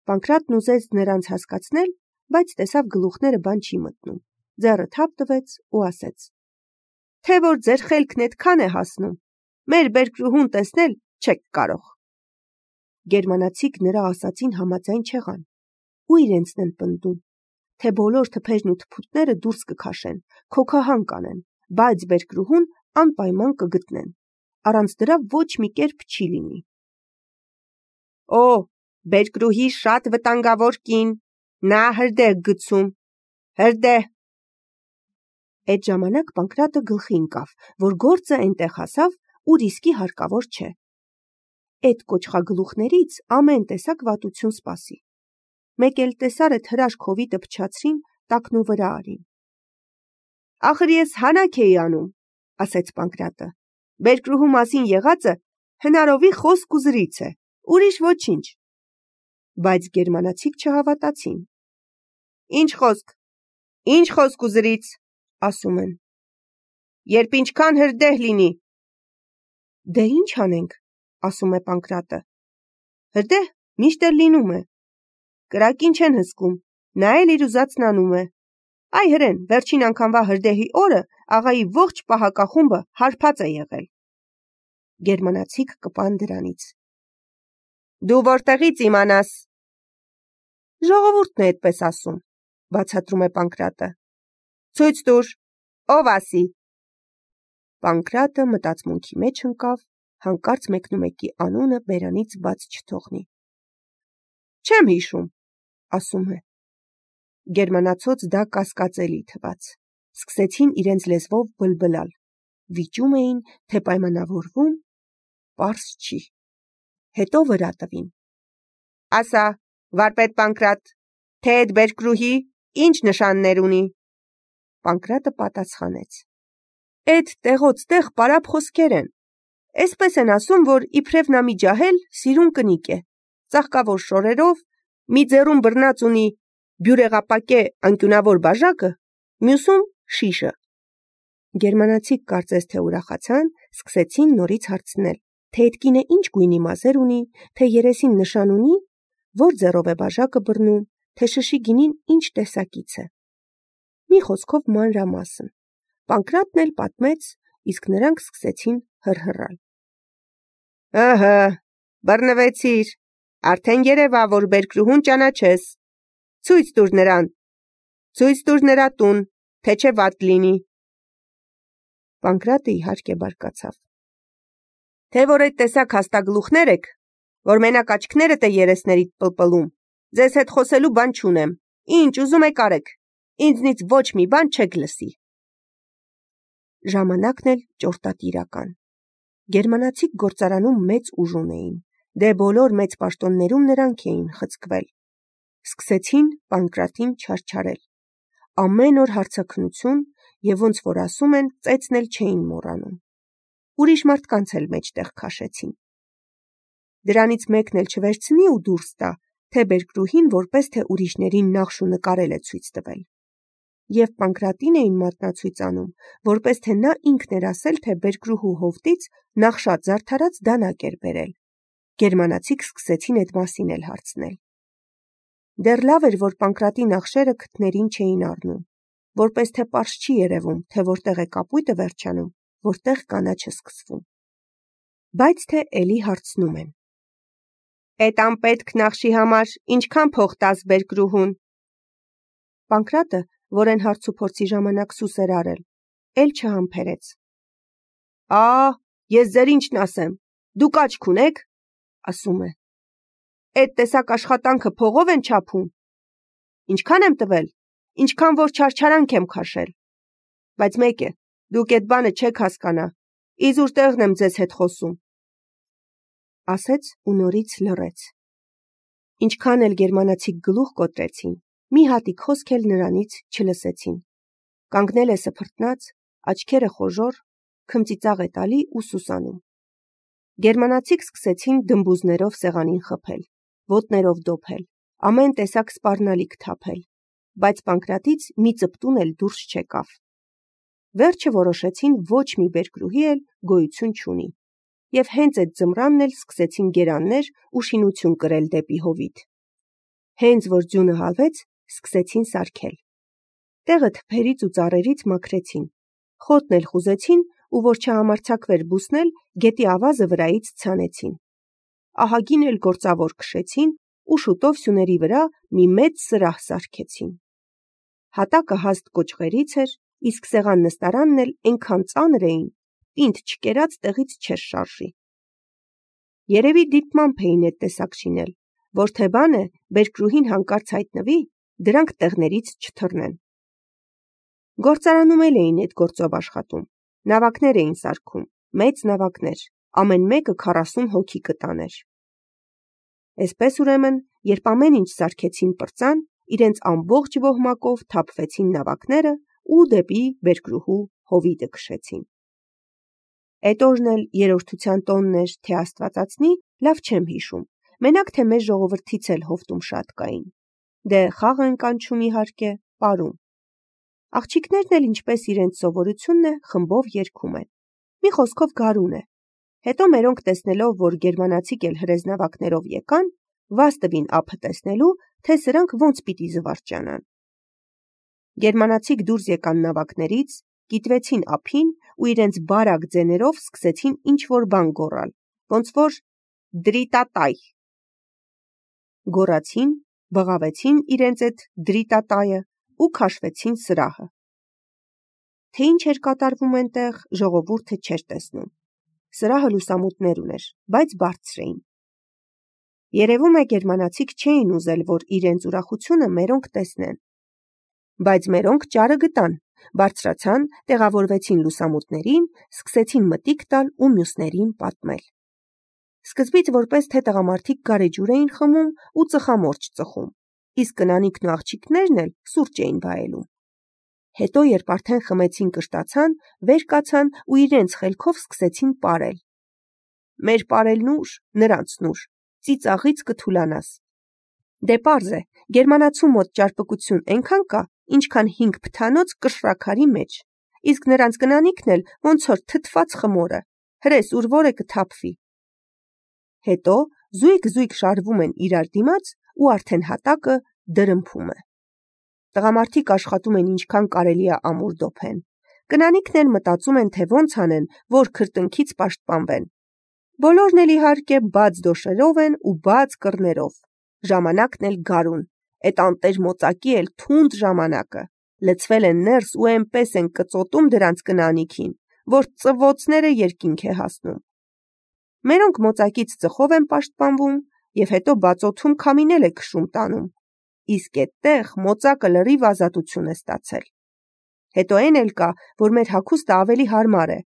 Պանկրատն ուզեց նրանց հասկացնել, բայց տեսավ գլուխները բան չի մտնում, ձեռը թափ տվեց ու ասեց. «Թե որ ձեր խելքն այդքան է հասնում, մեր բերկրուհուն տեսնել չեք կարող»։ Գերմանացիք նրա ասածին համաձայն չեղան, ու իրենցն են պնդում, թե բոլոր թփերն ու թփուտները դուրս կքաշեն, քոքահան կանեն, բայց բերկրուհուն անպայման կգտնեն, առանց դրա ոչ մի կերպ չի լինի։ Օ, բերկրուհի շատ վտանգավոր կին, նա հրդեհ գցում, հրդեհ։ Այդ ժամանակ Պանկրատը գլխի ընկավ, որ գործը այնտեղ հասավ, ուր իսկի հարկավոր չէ։ Այդ կոճղագլուխներից ամեն տեսակ վատություն սպասի։ Մեկ էլ տեսար այդ հրաշք հովիտը փչացրին, տակնու վրա արին։ Ախր ես հանակ էի անում, ասեց Պանկրատը։ Բերկրուհու մասին եղածը հնարովի խոսք ու զրից է, ուրիշ ոչինչ։ Բայց գերմանացիք չհավատացին։ Ինչ խոսք ու զրից, ասում են։ Երբ ինչքան հրդեհ լինի։ Դե ինչ անենք, ասում է Պանկրատը։ Հրդեհ միշտ էլ լինում է։ Կրակին չեն հսկում, նա էլ իր ուզածն անում է։ Այ հրեն, վերջին անգամվա հրդեհի օրը աղայի ողջ պահակախումբը հարբած է եղել։ Գերմանացիք կպան դրանից։ Դու որտեղից իմանաս։ Ժողովուրդն է այդպես ասում, բացատրում է Պանկրատը։ Ցույց տուր, ով ասի։ Պանկրատը մտածմունքի մեջ ընկավ, հանկարծ մեկնումեկի անունը բերանից բաց չթողնի։ Չեմ հիշում, ասում է։ Գերմանացոց դա կասկածելի թվաց։ Սկսեցին իրենց լեզվով բլբլալ։ Վիճում էին, թե պայմանավորվում, պարզ չի։ Հետո վրա տվին։ Ասա, վարպետ Պանկրատ, թե այդ բերկրուհի ինչ նշաններ ունի։ Պանկրատը պատասխանեց. Այդ տեղոց տեղ պարապ խոսքեր են։ Էսպես են ասում, որ իբրև նա մի ջահել սիրուն կնիկ է, ծաղկավոր շորերով, մի ձեռում բռնած ունի բյուրեղապակե անկյունավոր բաժակը, մյուսում շիշը։ Գերմանացիք կարծես թե ուրախացան, սկսեցին նորից հարցնել, թե այդ կինը ինչ գույնի մազեր ունի, թե երեսին նշան ունի, որ ձեռով է բաժակը բռնում, թե շշի գինին ինչ տեսակից է։ Մի խոսքով մանրամասն։ Պանկրատն էլ պատմեց, իսկ նրանք սկսեցին հռհռալ։ Ըհը, բռնվեցիր, արդեն երևա, որ բերկրուհուն ճանաչես։ Ցույց տուր նրան, ցույց տուր նրա տուն, թե չէ վատ լինի։ Պանկրատը իհարկե բարկացավ։ Թե որ այդ տեսակ հաստագլուխներ եք, որ մենակ աչքներդ է երեսներիդ պլպլում, ձեզ հետ խոսելու բան չունեմ, ինչ ուզում եք արեք, ինձնից ոչ մի բան չեք լսի։ Ժամանակն էլ ճորտատիրական։ Գերմանացիք գործարանում մեծ ուժ ունեին, դե բոլոր մեծ պաշտոններում նրանք էին խցկվել։ Սկսեցին Պանկրատին չարչարել։ Ամեն օր հարցաքննություն և ոնց որ ասում են, ծեծն էլ չէին մոռանում։ Ուրիշ մարդկանց էլ մեջտեղ քաշեցին։ Դրանից մեկն էլ չվերցնի ու դուրս տա, թե բերկրուհին որպես թե ուրիշներին նախշ ու նկարել է ցույց տվել։ Եվ Պանկրատին էին մատնացույց անում, որպես թե նա ինքն էր ասել, թե բերկրուհու հովտից նախշած զարդարած դանակ էր բերել։ Գերմանացիք սկսեցին այդ մասին էլ հարցնել։ Դեռ լավ էր, որ Պանկրատի նախշերը քթներին չէին առնում, որպես թե պարզ չի երևում, թե որտեղ է կապույտը վերջանում, որտեղ կանաչը սկսվում։ Բայց թե էլի հարցնում են։ Այդ անպետք նախշի համար ինչքան փող տաս բերկրուհուն։ Պանկրատը, որ են հարց ու փորձի ժամանակ սուս էր արել, էլ չհամբերեց։ Ես ձեր ինչն ասեմ, դուք աչք ունեք, ասում է։ Այդ տեսակ աշխատանքը փողով են չափում։ Ինչքան եմ տվել, ինչքան որ չարչարանք եմ քաշել։ Բայց մեկ է, դուք այդ բանը չեք հասկանա, իզուր տեղն եմ ձեզ հետ խոսում։ Ասեց ու նորից լռեց։ Ինչքան էլ գերմանացիք գլուխ կոտրեցին, մի հատիկ խոսք էլ նրանից չլսեցին։ Կանգնել է սփռտնած, աչքերը խոժոռ, քմծիծաղ է տալի ու սուսանում։ Գերմանացիք սկսեցին դմբուզներով սեղանին խփել, ոտներով դոփել, ամեն տեսակ սպառնալիք թափել, բայց Պանկրատից մի ծպտուն էլ դուրս չեկավ։ Վերջը որոշեցին ոչ մի բերկրուհի էլ գոյություն չունի, և հենց այդ ձմռանն էլ սկսեցին գերաններ ու շինություն կրել դեպի հովիտ։ Հենց որ ձյունը հալվեց, սկսեցին սարքել։ Տեղը թփերից ու ծառերից մաքրեցին, խոտն էլ խուզեցին ու որ չհամարձակվեր բուսնել, գետի ավազը վրայից ցանեցին։ Ահագին էլ գործավոր քշեցին ու շուտով սյուների վրա մի մեծ սրահ սարքեցին։ Հատակը հաստ կոճղերից էր, իսկ սեղան նստարանն էլ այնքան ծանր էին, պինդ չկերած տեղից չէր շարժի։ Երևի դիտմամբ էին այդ տեսակ շինել, որ թե բան է, բերկրուհին հանկարծ հայտնվի, դրանք տեղներից չթռնեն։ Գործարանում էլ էին այդ գործով աշխատում, նավակներ էին սարքում, մեծ նավակներ, ամեն մեկը 40 հոգի կտաներ։ Այսպես ուրեմն, երբ ամեն ինչ սարքեցին պրծան, իրենց ամբողջ ոհմակով թափվեցին նավակները ու դեպի բերկրուհու հովիտը քշեցին։ Այդ օրն էլ երրորդության տոնն էր, թե Աստվածածնի, լավ չեմ հիշում, մենակ թե մեզ ժողովրդից էլ հովտում շատ կային։ Դե խաղ են կանչում իհարկե, պարում։ Աղջիկներն էլ ինչպես իրենց սովորությունն է, խմբով երգում են։ Մի խոսքով գարուն է։ Հետո մերոնք տեսնելով, որ գերմանացիք էլ հրեզ նավակներով եկան, վազ տվին ափը տեսնելու, թե սրանք ոնց պիտի զվարճանան։ Գերմանացիք դուրս եկան նավակներից, կիտվեցին ափին ու իրենց բարակ ձեներով սկսեցին ինչ-որ բան գոռալ, ոնց որ դրիտատայ։ Գոռացին, բղավեցին իրենց այդ դրիտատայը ու քաշվեցին սրահը։ Թե ինչ էր կատարվում այնտեղ, ժողովուրդը չէր տեսնում։ Սրահը լուսամուտներ ուներ, բայց բարձր էին։ Երևում է գերմանացիք չէին ուզել, որ իրենց ուրախությունը մերոնք տեսնեն։ Բայց մերոնք ճարը գտան, բարձրացան, տեղավորվեցին լուսամուտներին, սկսեցին մտիկ տալ ու մյուսներին պատմել։ Սկզբից որպես թե տղամարդիկ գարեջուր էին խմում ու ծխամորճ ծխում, իսկ կնանիքն ու աղջիկներն էլ սուրճ էին վայելում։ Հետո, երբ արդեն խմեցին կշտացան, վեր կացան ու իրենց խելքով սկսեցին պարել։ Մեր պարելն ուր, նրանցն ուր, ծիծաղից կթուլանաս։ Դե պարզ է, գերմանացու մոտ ճարպկություն այնքան կա, ինչքան 5 փթանոց կշռաքարի մեջ, իսկ նրանց կնանիքն էլ ոնց որ թթված խմորը, հրես ուր որը կթափվի։ Հետո զույգ շարվում են իրար դիմաց ու արդեն հատակը դրմփում է։ Տղամարդիկ աշխատում են ինչքան կարելի է ամուր դոփեն։ Կնանիքն էլ մտածում են, թե ոնց անեն, որ քրտնքից պաշտպանվեն։ Բոլորն էլ իհարկե բաց դոշերով են ու բաց կռներով։ Ժամանակն էլ գարուն, այդ անտեր մոծակի էլ թունդ ժամանակը։ Լցվել են ներս ու այնպես են կծոտում դրանց կնանիքին, որ ծվոցները երկինք է հասնում։ Մերոնք մոծակից ծխով են պաշտպանվում և հետո բացոթում քամինել է քշում տանում։ Իսկ այդտեղ մոծակը լրիվ ազատություն է ստացել։ Հետո այն էլ կա, որ մեր հագուստը ավելի հարմար է։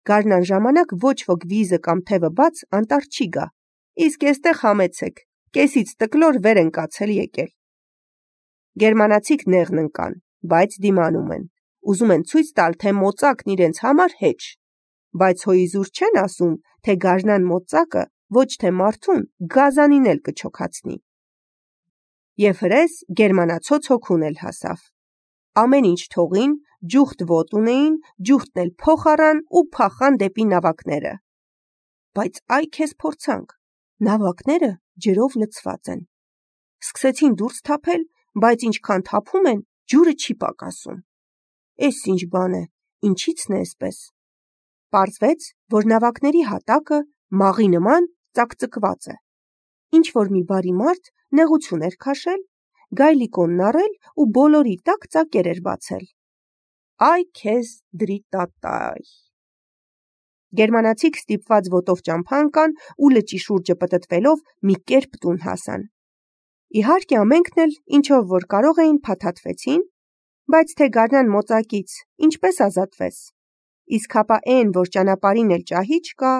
Գարնան ժամանակ ոչ ոք վիզը կամ թևը բաց անտառ չի գա, իսկ այստեղ համեցեք, կեսից տկլոր վեր են կացել եկել։ Գերմանացիք նեղն ընկան, բայց դիմանում են, ուզում են ցույց տալ, թե մոծակն իրենց համար հեչ, բայց հոիզուր չեն ասում, թե գարնան մոծակը ոչ թե մարդուն, գազանին էլ կչոքացնի։ Եվ հրես գերմանացոց հոգուն էլ հասավ։ Ամեն ինչ թողին, ջուխտ ոտ ունեին, ջուխտն էլ փոխ առան ու փախան դեպի նավակները։ Բայց այ քեզ փորձանք, նավակները ջրով լցված են։ Սկսեցին դուրս թափել, բայց ինչքան թափում են, ջուրը չի պակասում։ Էս ինչ բան է, ինչի՞ցն է այսպես։ Պարզվեց, որ նավակների հատակը մաղի նման ծակծկված է։ Ինչ որ մի բարի մարդ նեղություն էր քաշել, գայլիկոնն առել ու բոլորի տակ ծակեր էր բացել։ Այ քեզ դրիտատայ։ Գերմանացիք ստիպված ոտով ճամփա ընկան ու լճի շուրջը պտտվելով մի կերպ տուն հասան։ Իհարկե ամենքն էլ ինչով որ կարող էին փաթաթվեցին, բայց թե գարնան մոծակից ինչպես ազատվես։ Իսկ հապա այն, որ ճանապարհին էլ ճահի չկա։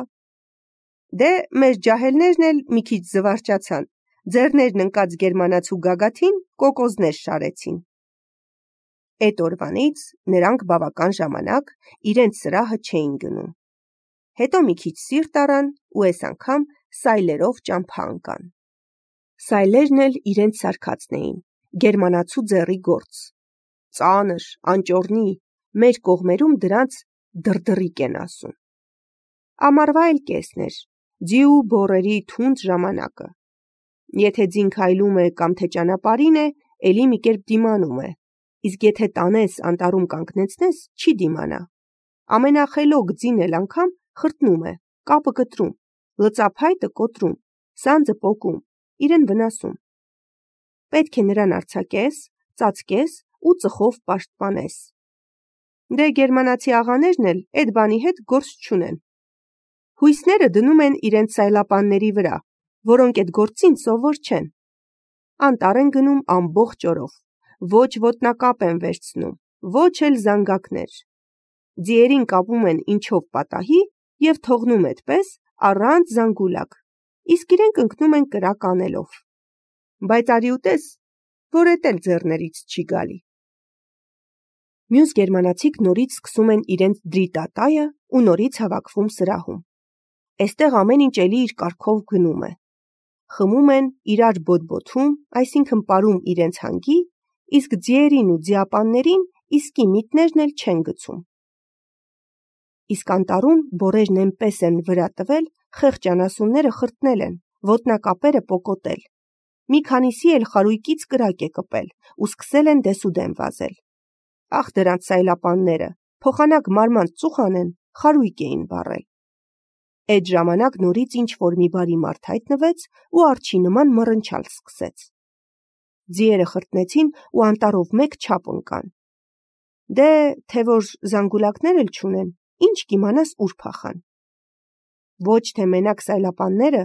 Դե մեր ջահելներն էլ մի քիչ զվարճացան, ձեռներն ընկած գերմանացու գագաթին կոկոզներ շարեցին։ Այդ օրվանից նրանք բավական ժամանակ իրենց սրահը չէին գնում։ Հետո մի քիչ սիրտ առան ու այս անգամ սայլերով ճամփա ընկան։ Սայլերն էլ իրենց սարքածն էին, գերմանացու ձեռի գործ։ Ծանր, անճոռնի, մեր կողմերում դրանց դրդռիկ են ասում։ Ամառվա էլ կեսն էր, ձի ու բոռերի թունդ ժամանակը։ Եթե ձին քայլում է կամ թե ճանապարհին է, էլի մի կերպ դիմանում է, իսկ եթե տանես անտառում կանգնեցնես, չի դիմանա։ Ամենախելոք ձին էլ անգամ խրտնում է, կապը կտրում, լծափայտը կոտրում, սանձը պոկում, իրեն վնասում։ Պետք է նրան արձակես, ծածկես ու ծխով պաշտպանես։ Դե գերմանացի աղաներն էլ այդ բանի հետ գործ չունեն։ Հույսները դնում են իրենց սայլապանների վրա, որոնք այդ գործին սովոր չեն։ Անտառ են գնում ամբողջ օրով, ոչ ոտնակապ են վերցնում, ոչ էլ զանգակներ։ Ձիերին կապում են ինչով պատահի և թողնում այդպես առանց զանգուլակ, իսկ իրենք ընկնում են կրակ անելով։ Բայց արի ուտես, որ էդ էլ ձեռներից չի գալի։ Մյուս գերմանացիք նորից սկսում են իրենց դրիտատայը ու նորից հավաքվում սրահում։ Էստեղ ամեն ինչ էլի իր կարգով գնում է։ Խմում են, իրար բոթբոթում, այսինքն պարում իրենց հանգի, իսկ ձիերին ու ձիապաններին իսկի միտներն էլ չեն գցում։ Իսկ անտառում բորերն այնպես են վրա տվել, խեղճ անասունները խրտնել են, ոտնակապերը պոկոտել։ Մի քանիսի էլ խարույկից կրակ է կպել ու սկսել են դեսուդեն վազել։ Ախ դրանց սայլապանները, փոխանակ մարմանց ծուխ անեն, խարույկ էին վառել։ Այդ ժամանակ նորից ինչ-որ մի բարի մարդ հայտնվեց ու արջի նման մռնչալ սկսեց։ Ձիերը խրտնեցին ու անտառով մեկ չափ ընկան։ Դե, թե որ զանգուլակներ էլ չունեն, ինչ կիմանաս ուր փախան։ Ոչ թե մենակ սայլապանները,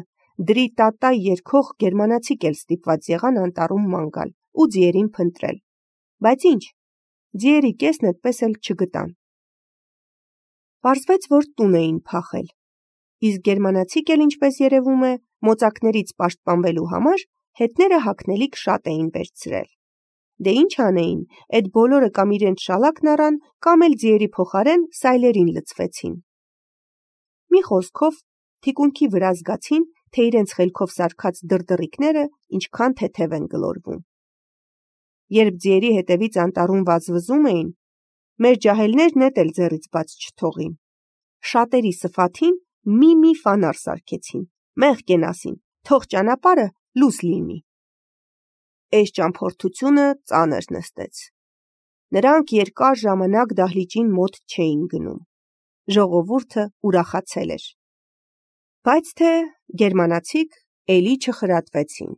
դրիտատայ երգող գերմանացիք էլ ստիպված եղան անտառում ման գալ ու ձիերին փնտրել։ Բայց ինչ, ձիերի կեսն այդպես էլ չգտան։ Պարզվեց, որ տուն էին փախել։ Իսկ գերմանացիք էլ, ինչպես երևում է, մոծակներից պաշտպանվելու համար հետները հագնելիք շատ էին վերցրել։ Դե ինչ անեին, այդ բոլորը կամ իրենց շալակն առան, կամ էլ ձիերի փոխարեն սայլերին լցվեցին։ Մի խոսքով, թիկունքի վրա զգացին, թե իրենց խելքով սարքած դրդռիկները ինչքան թեթև են գլորվում։ Երբ ձիերի հետևից անտառում վազվզում էին, մեր ջահելներն էդ էլ ձեռից բաց չթողին։ Շատերի սֆաթին մի ֆանար սարքեցին, մեղք են ասին, թող ճանապարհը լուս լինի։ Այս ճամփորդությունը ծանր նստեց։ Նրանք երկար ժամանակ դահլիճին մոտ չէին գնում։ Ժողովուրդը ուրախացել էր։ Բայց թե գերմանացիք էլի չխրատվեցին։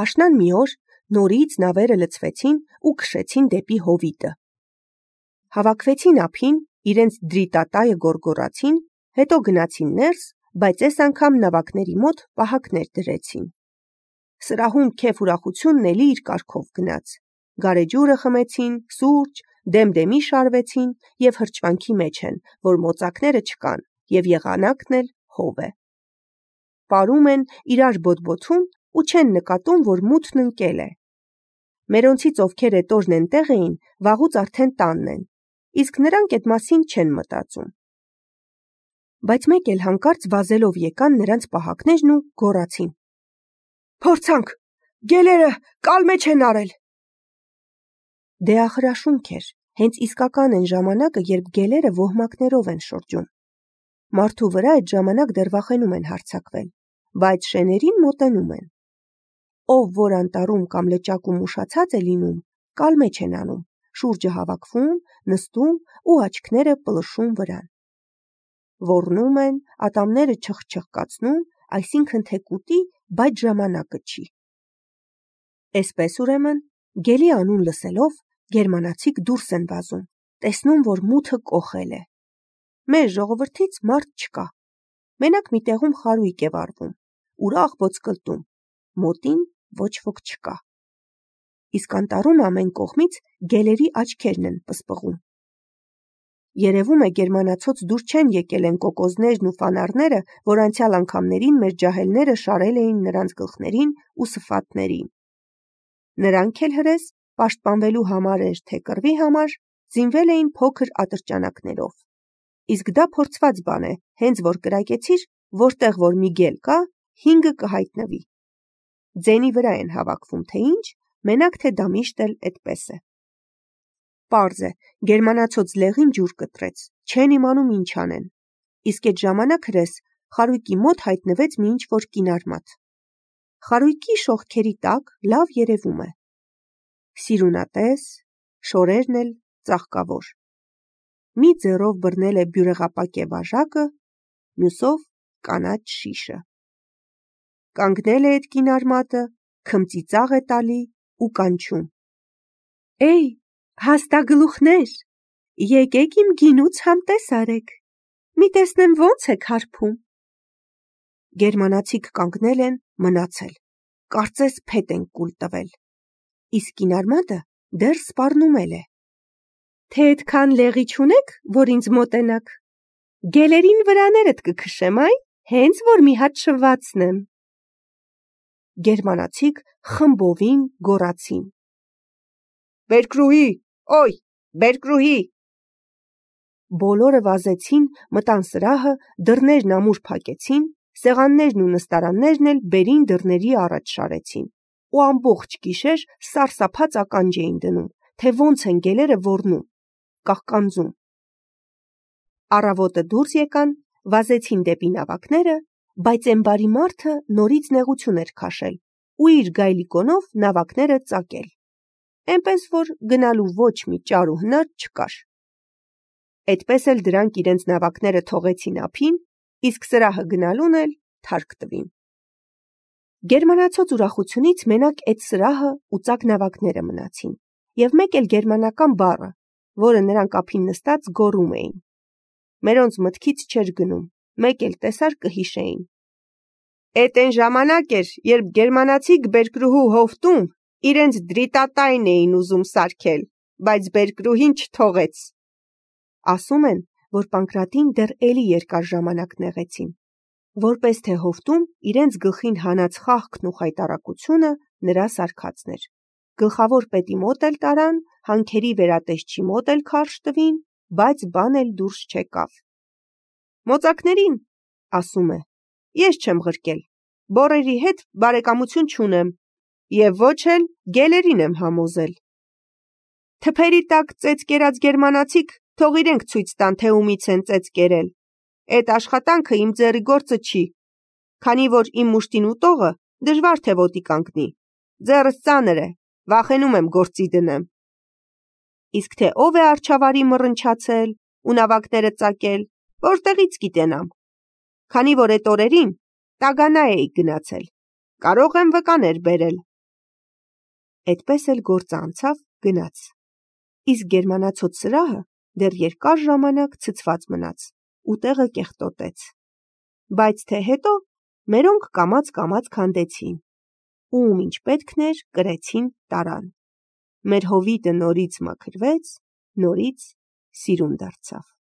Աշնան մի օր նորից նավերը լցվեցին ու քշեցին դեպի հովիտը։ Հավաքվեցին ափին, իրենց դրիտատայը գորգորացին, հետո գնացին ներս, բայց այս անգամ նավակների մոտ պահակներ դրեցին։ Սրահում քեֆ ուրախությունն էլի իր կարգով գնաց։ Գարեջուրը խմեցին, սուրճ, դեմդեմի շարվեցին և հրճվանքի մեջ են, որ մոծակները չկան և եղանակն էլ հով է։ Պարում են, իրար բոթբոթում ու չեն նկատում, որ մութն ընկել է։ Մերոնցից ովքեր էդ օրն էնտեղ էին, վաղուց արդեն տանն են, իսկ նրանք այդ մասին չեն մտածում։ Բայց մեկ էլ հանկարծ վազելով եկան նրանց պահակներն ու գոռացին. «Փորձանք, գելերը կալմե չեն արել»։ Դե ախրաշունք էր, հենց իսկական են ժամանակը, երբ գելերը ոհմակներով են շրջում։ Մարդու վրա այդ ժամանակ դեռ վախենում են հարձակվել, բայց շեներին մոտենում են։ Ով որ անտառում կամ լճակում ուշացած է լինում, կալմե չեն անում, շուրջը հավաքվում, նստում ու աչքները պլշում վրան։ Ոռնում են, ատամները չխչխկացնում, այսինքն թե կուտի, բայց ժամանակը չի։ Էսպես ուրեմն, գելի անուն լսելով, գերմանացիք դուրս են վազում, տեսնում, որ մութը կոխել է։ Մեր ժողովրդից մարդ չկա։ Մենակ մի տեղում խարույկ է վառվում, ուրախ ոսկլտում, մոտին ոչ ոք չկա։ Իսկ անտառում ամեն կողմից գելերի աչքերն են պսպղում։ Երևում է գերմանացոց դուր չեն եկել են կոկոզներն ու ֆանարները, որ անցյալ անգամներին մեր ջահելները շարել էին նրանց գլխներին ու սֆաթներին։ Նրանք էլ հրես, պաշտպանվելու համար էր, թե կռվի համար, զինվել էին փոքր ատրճանակներով։ Իսկ դա փորձված բան է, հենց որ կրակեցիր, որտեղ որ մի գել կա, 5-ը կհայտնվի։ Ձենի վրա են հավաքվում, թե ինչ, մենակ թե դա միշտ էլ այդպես է։ Պարզ է, գերմանացոց լեղին ջուր կտրեց, չեն իմանում ինչ անեն։ Իսկ այդ ժամանակ հրես խարույկի մոտ հայտնվեց մի ինչ-որ կինարմատ։ խարույկի շողքերի տակ լավ երևում է։ Սիրունատես, շորերն էլ ծաղկավոր։ Մի ձեռով բռնել է բյուրեղապակե բաժակը, մյուսով կանաչ շիշը։ Կանգնել է այդ կին արմատը, քմծիծաղ է տալի ու կանչում. «Էй, հաստագլուխներ, եկեք իմ գինուց համտես արեք, մի տեսնեմ ոնց եք հարբում»։ Գերմանացիք կանգնել են մնացել, կարծես փետ են կուլ տվել, իսկ կին արմատը դեռ սպառնումել է։ «Թե այդքան լեղի չունեք, որ ինձ մոտենաք, գելերին վրաներդ կքշեմ, այ, հենց որ մի հատ շվացնեմ»։ Գերմանացիք խմբովին գոռացին. «Բերկրուհի, օй, բերկրուհի»։ Բոլորը վազեցին, մտան սրահը, դռներն ամուր փակեցին, սեղաններն ու նստարաններն էլ բերին դռների առաջ շարեցին ու ամբողջ գիշեր սարսափած ականջ էին դնում, թե ոնց են գելերը ոռնում, կաղկանձում։ Առավոտը դուրս եկան, վազեցին դեպի նավակները, բայց էն բարի մարդը նորից նեղություն էր քաշել ու իր գայլիկոնով նավակները ծակել, էնպես որ գնալու ոչ մի ճար ու հնար չկար։ Էդպես էլ դրանք իրենց նավակները թողեցին ափին, իսկ սրահը գնալուն էլ թարք տվին։ Գերմանացոց ուրախությունից մենակ այդ սրահը ու ծակ նավակները մնացին, և մեկ էլ գերմանական բառը, որը նրանք ափին նստած գոռում էին։ Մերոնց մտքից չէր գնում, մեկ էլ տեսար կհիշեին։ Էդ էն ժամանակ էր, երբ գերմանացիք բերկրուհու հովտում իրենց դրիտատայն էին ուզում սարքել, բայց բերկրուհին չթողեց։ Ասում են, որ Պանկրատին դեռ էլի երկար ժամանակ նեղեցին, որպես թե հովտում իրենց գլխին հանած խաղքն ու խայտառակությունը նրա սարքածն էր։ Գլխավոր պետի մոտ էլ տարան, հանքերի վերատեսչի մոտ էլ քարշ տվին, բայց բան էլ դուրս չեկավ։ Մոծակներին, ասում է, ես չեմ ղրկել, բոռերի հետ բարեկամություն չունեմ, և ոչ էլ գելերին եմ համոզել։ Թփերի տակ ծեծ կերած գերմանացիք թող իրենք ցույց տան, թե ումից են ծեծ կերել։ Էդ աշխատանքը իմ ձեռի գործը չի, քանի որ իմ մուշտին ուտողը դժվար թե ոտի կանգնի։ Ձեռս ծանր է, վախենում եմ գործի դնեմ։ Իսկ թե ով է արջավարի մռնչացել ու նավակները ծակել, որտեղից գիտենամ, քանի որ էդ օրերին Տագանա էի գնացել, կարող եմ վկաներ բերել։ Էդպես էլ գործը անցավ, գնաց, իսկ գերմանացոց սրահը դեռ երկար ժամանակ ցցված մնաց ու տեղը կեղտոտեց, բայց թե հետո մերոնք կամաց քանդեցին, ում ինչ պետքն էր կրեցին տարան։ Մեր հովիտը նորից մաքրվեց, նորից սիրուն դարձավ։